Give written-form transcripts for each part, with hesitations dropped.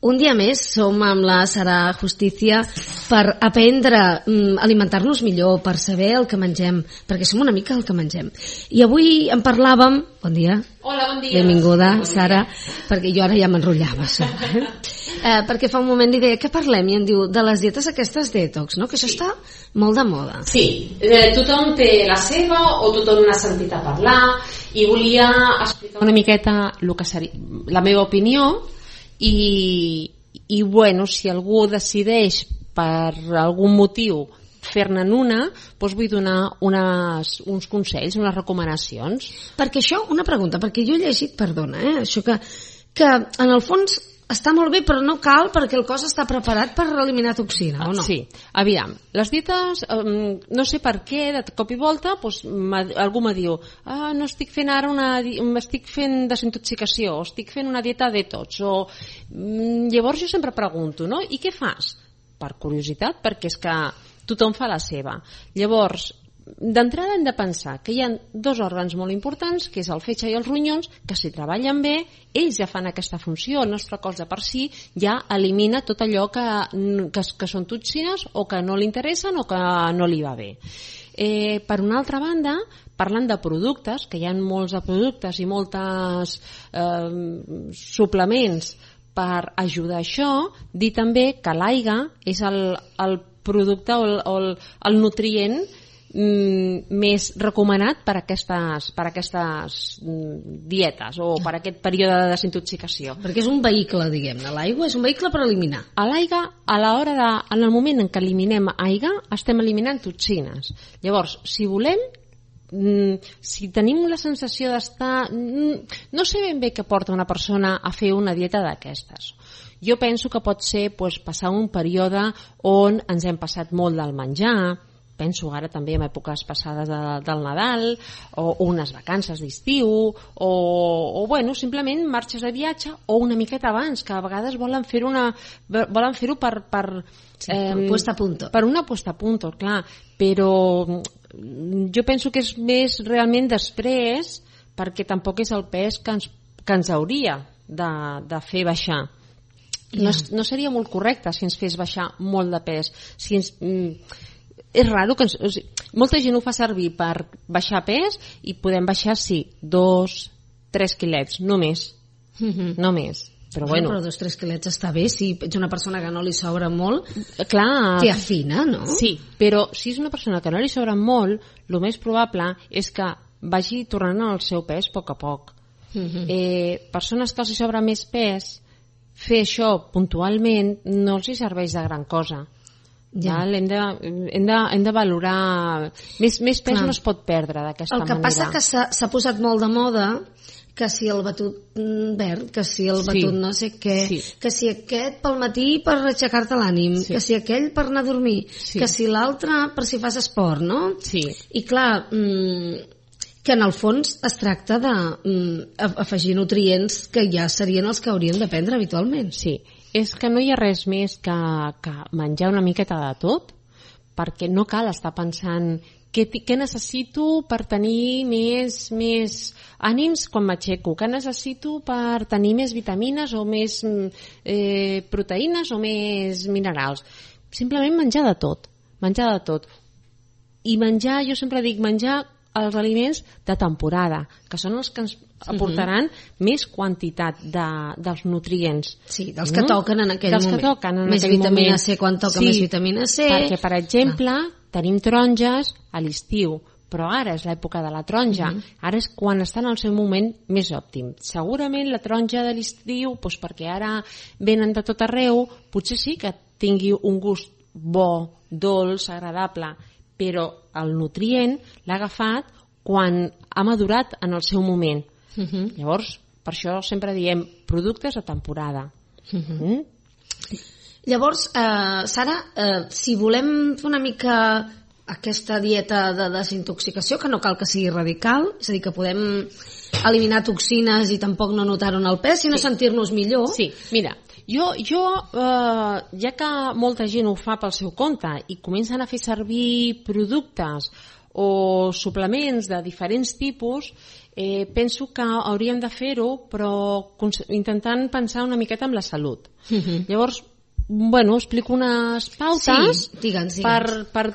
Un dia més som amb la Sara Justicia per aprendre a alimentar-nos millor, per saber el que mengem, perquè som una mica el que mengem. I avui en parlàvem... Bon dia. Hola, bon dia. Benvinguda, Sara, perquè jo ara ja m'enrotllava. Perquè fa un moment li deia, què parlem? I em diu, de les dietes aquestes detox, no? Que això està molt de moda. Sí, tothom té la seva o tothom n'ha sentit a parlar i volia explicar una miqueta el que seria la meva opinió. I bueno, si algú decideix per algun motiu fer-ne una, doncs vull donar uns consells, unes recomanacions. Perquè això, una pregunta, perquè jo he llegit, perdona, això que en el fons està molt bé, però no cal perquè el cos està preparat per eliminar toxina, o no? Sí, aviam, les dietes, no sé per què, de cop i volta, doncs, algú me diu, no estic fent ara estic fent desintoxicació, o estic fent una dieta detox, o llavors jo sempre pregunto, no? I què fas? Per curiositat, perquè és que tothom fa la seva. Llavors, d'entrada hem de pensar que hi ha dos òrgans molt importants, que és el fetge i els ronyons, que si treballen bé, ells ja fan aquesta funció. El nostre cos de per si ja elimina tot allò que són toxines o que no li interessen o que no li va bé. Per una altra banda, parlant de productes, que hi ha molts de productes i moltes suplements per ajudar a això, dir també que l'aigua és el producte o el nutrient més recomanat per aquestes dietes o per aquest període de desintoxicació. Perquè és un vehicle, diguem-ne. L'aigua és un vehicle per eliminar. A l'aigua, en el moment en què eliminem aigua, estem eliminant toxines. Llavors, si volem, si tenim la sensació d'estar... No sé ben bé què porta una persona a fer una dieta d'aquestes. Jo penso que pot ser passar un període on ens hem passat molt del menjar, penso ara també en èpoques passades del Nadal o unes vacances d'estiu o bueno, simplement marxes de viatge o una miqueta abans, que a vegades volen fer-ho per puesta a punto. Per una puesta a punto, clar, però jo penso que és més realment després, perquè tampoc és el pes que ens hauria de fer baixar. No seria molt correcte si ens fes baixar molt de pes, si ens... És raro que molta gent ho fa servir per baixar pes i podem baixar, sí, 2-3 quilets, no més. No més. Però bueno. Però 2-3 quilets està bé, si ets una persona que no li sobra molt, clar, t'hi afina, no? Sí, però si és una persona que no li sobra molt, el més probable és que vagi tornant al seu pes a poc a poc. Persones que els sobra més pes, fer això puntualment no els serveix de gran cosa. Ja. Hem de valorar més pes. No es pot perdre d'aquesta manera. El que passa que s'ha posat molt de moda que si el batut verd, que si el batut no sé què, que si aquest pel matí per aixecar-te l'ànim, que si aquell per anar a dormir, que si l'altre per si fas esport, no? I clar, que en el fons es tracta d'afegir nutrients que ja serien els que hauríem de prendre habitualment. Sí, és que no hi ha res més que menjar una miqueta de tot, perquè no cal estar pensant què necessito per tenir més ànims quan m'aixeco, què necessito per tenir més vitamines o més proteïnes o més minerals. Simplement menjar de tot. I menjar, jo sempre dic, menjar els aliments de temporada, que són els que ens aportaran més quantitat dels nutrients. Sí, dels que toquen en aquell moment. Més vitamina C quan toca més vitamina C. Perquè, per exemple, tenim taronges a l'estiu, però ara és l'època de la taronja. Ara és quan estan al seu moment més òptim. Segurament la taronja de l'estiu, perquè ara venen de tot arreu, potser sí que tingui un gust bo, dolç, agradable, però el nutrient l'ha agafat quan ha madurat en el seu moment. Llavors, per això sempre diem productes a temporada. Llavors, Sara, si volem fer una mica aquesta dieta de desintoxicació, que no cal que sigui radical, és a dir, que podem eliminar toxines i tampoc no notar-ho en el pes, sinó sentir-nos millor. Sí, mira, jo ja que molta gent ho fa pel seu compte i comencen a fer servir productes o suplements de diferents tipus, penso que hauríem de fer-ho, però intentant pensar una miqueta en la salut. Llavors, explico unes pautes per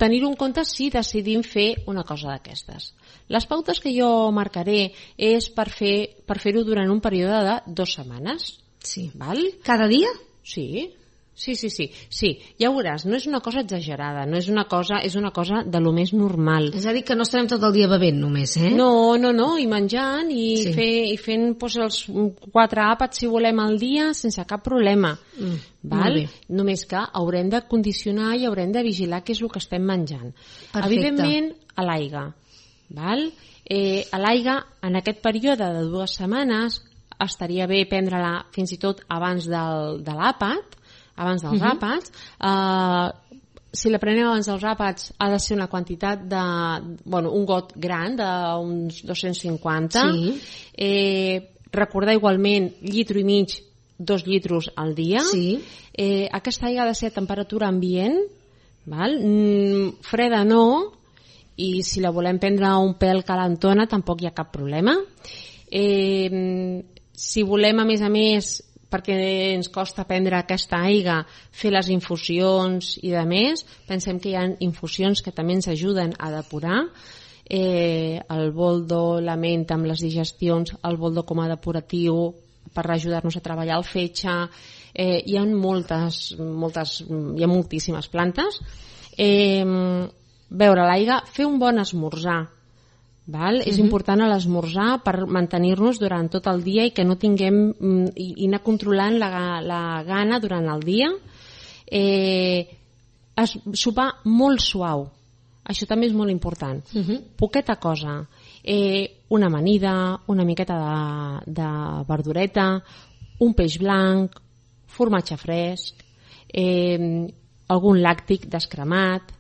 tenir-ho en compte si decidim fer una cosa d'aquestes. Les pautes que jo marcaré és per fer-ho durant un període de 2 setmanes. Sí. Val? Cada dia? Sí, ja ho veuràs, no és una cosa exagerada, és una cosa de lo més normal. És a dir, que no estarem tot el dia bevent només, eh? No, i menjant i fent els 4 àpats, si volem, al dia sense cap problema. Val? Només que haurem de condicionar i haurem de vigilar què és el que estem menjant. Perfecte. Evidentment, a l'aigua. Val? A l'aigua, en aquest període de 2 setmanes, estaria bé prendre-la fins i tot abans de l'àpat, abans dels àpats. Si la preneu abans dels àpats ha de ser una quantitat un got gran d'uns 250. Recordar igualment 1,5 litres, 2 litres al dia. Aquesta aigua ha de ser a temperatura ambient, val? Freda no, i si la volem prendre un pèl calentona tampoc hi ha cap problema. Si volem, a més, perquè ens costa prendre aquesta aigua, fer les infusions i de més, pensem que hi ha infusions que també ens ajuden a depurar. El boldo, la menta amb les digestions, el boldo com a depuratiu per ajudar-nos a treballar el fetge. Hi ha moltíssimes plantes. Beure l'aigua, fer un bon esmorzar. Val? És important a l'esmorzar per mantenir-nos durant tot el dia i que no tinguem i anar controlant la gana durant el dia. Sopar molt suau, això també és molt important. Poqueta cosa, una amanida, una miqueta de verdureta, un peix blanc, formatge fresc, algun làctic descremat,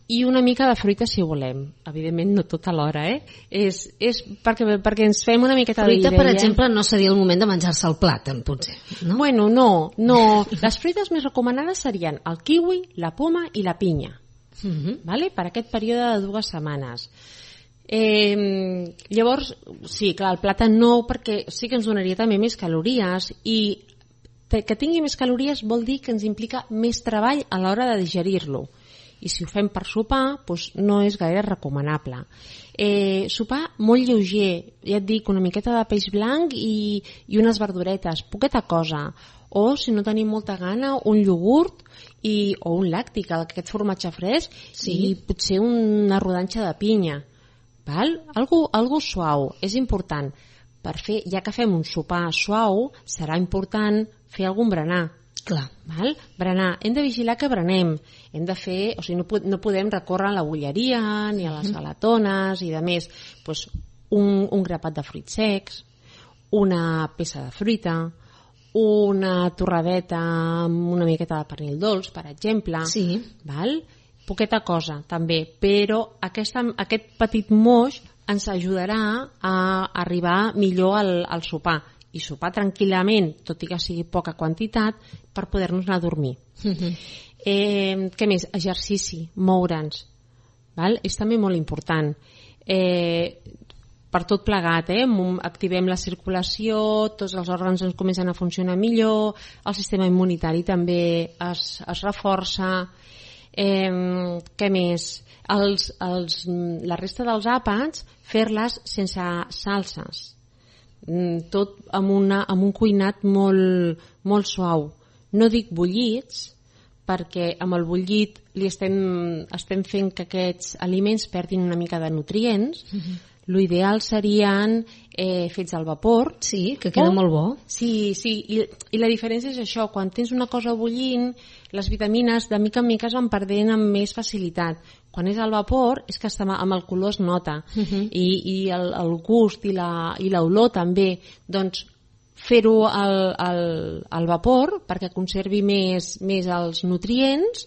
i una mica de fruita si volem. Evidentment no tot alhora, és perquè ens fem una miqueta fruita, per exemple, no seria el moment de menjar-se el plàtan, potser, no? Bueno, no. Les fruites més recomanades serien el kiwi, la poma i la pinya, vale? Per aquest període de 2 setmanes. Llavors, sí, clar, el plàtan no, perquè sí que ens donaria també més calories, i que tingui més calories vol dir que ens implica més treball a l'hora de digerir-lo. I si ho fem per sopar, doncs no és gaire recomanable. Sopar molt lleuger, ja et dic, una miqueta de peix blanc i unes verduretes, poqueta cosa. O, si no tenim molta gana, un iogurt o un làctic, aquest formatge fresc, i potser una rodanxa de pinya. Val? Algo suau, és important. Ja que fem un sopar suau, serà important fer algun berenar. Clar. Val? Berenar. Hem de vigilar que berenem. Hem de fer, o sigui, no podem recórrer a la bolleria ni a les galatones i de més. Pues un grapat de fruits secs, una peça de fruita, una torradeta amb una miqueta de pernil dolç, per exemple. Val? Poqueta cosa, també. Però aquest petit moix ens ajudarà a arribar millor al sopar. I sopar tranquil·lament, tot i que sigui poca quantitat, per poder-nos anar a dormir. Què més? Exercici, moure'ns. És també molt important. Per tot plegat, activem la circulació, tots els òrgans ens comencen a funcionar millor, el sistema immunitari també es reforça. Què més? La resta dels àpats, fer-les sense salses. Tot amb un cuinat molt suau. No dic bullits, perquè amb el bullit estem fent que aquests aliments perdin una mica de nutrients. L'ideal serien fets al vapor. Sí, que queda molt bo. Sí, i la diferència és això, quan tens una cosa bullint, les vitamines de mica en mica es van perdent amb més facilitat. Quan és al vapor és que amb el color es nota, i el gust i l'olor també. Doncs fer-ho al vapor perquè conservi més els nutrients,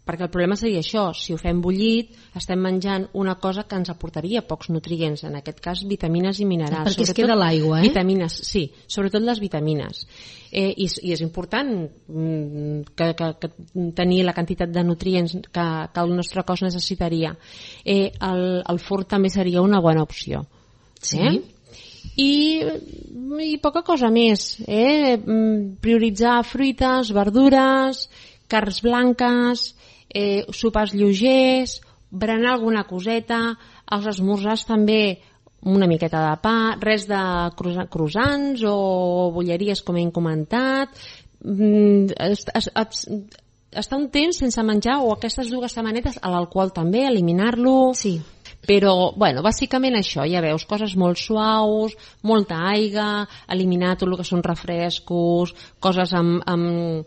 perquè el problema seria això, si ho fem bullit estem menjant una cosa que ens aportaria pocs nutrients, en aquest cas vitamines i minerals. Perquè es queda l'aigua, Vitamines, sí, sobretot les vitamines. I és important que tenir la quantitat de nutrients que el nostre cos necessitaria. El fort també seria una bona opció. Sí. I poca cosa més. Prioritzar fruites, verdures, carns blanques, sopars lleugers, berenar alguna coseta, als esmorzars també una miqueta de pa, res de croissants o bolleries com hem comentat, estar un temps sense menjar o aquestes dues setmanetes, a l'alcohol també, eliminar-lo. Sí. Però, bueno, bàsicament això, ja veus, coses molt suaus, molta aigua, eliminar tot el que són refrescos, coses amb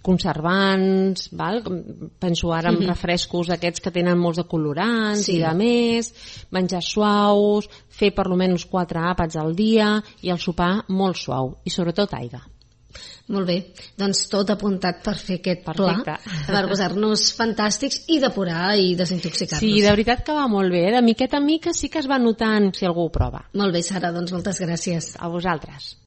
conservants, val? Penso ara en refrescos aquests que tenen molts de colorants i de més, menjar suaus, fer per almenys 4 àpats al dia i el sopar molt suau i sobretot aigua. Molt bé, doncs tot apuntat per fer aquest pla, per posar-nos fantàstics i depurar i desintoxicar-nos. Sí, de veritat que va molt bé, de miqueta en mica sí que es va notant si algú ho prova. Molt bé, Sara, doncs moltes gràcies. A vosaltres.